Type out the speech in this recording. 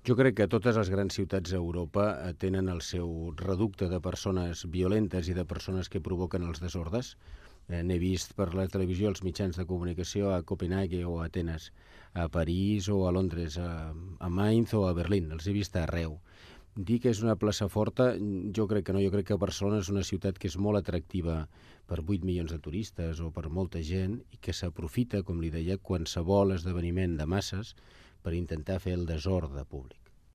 Jo crec que totes les grans ciutats d'Europa tenen el seu reducte de persones violentes i de persones que provoquen els desordres. N'he vist per la televisió, els mitjans de comunicació a Copenhague o a Atenes, a París o a Londres, a Mainz o a Berlín. Els he vist arreu. Dir que és una plaça forta, jo crec que no. Jo crec que Barcelona és una ciutat que és molt atractiva per 8 milions de turistes o per molta gent i que s'aprofita, com li deia, qualsevol esdeveniment de masses per intentar fer el desordre públic.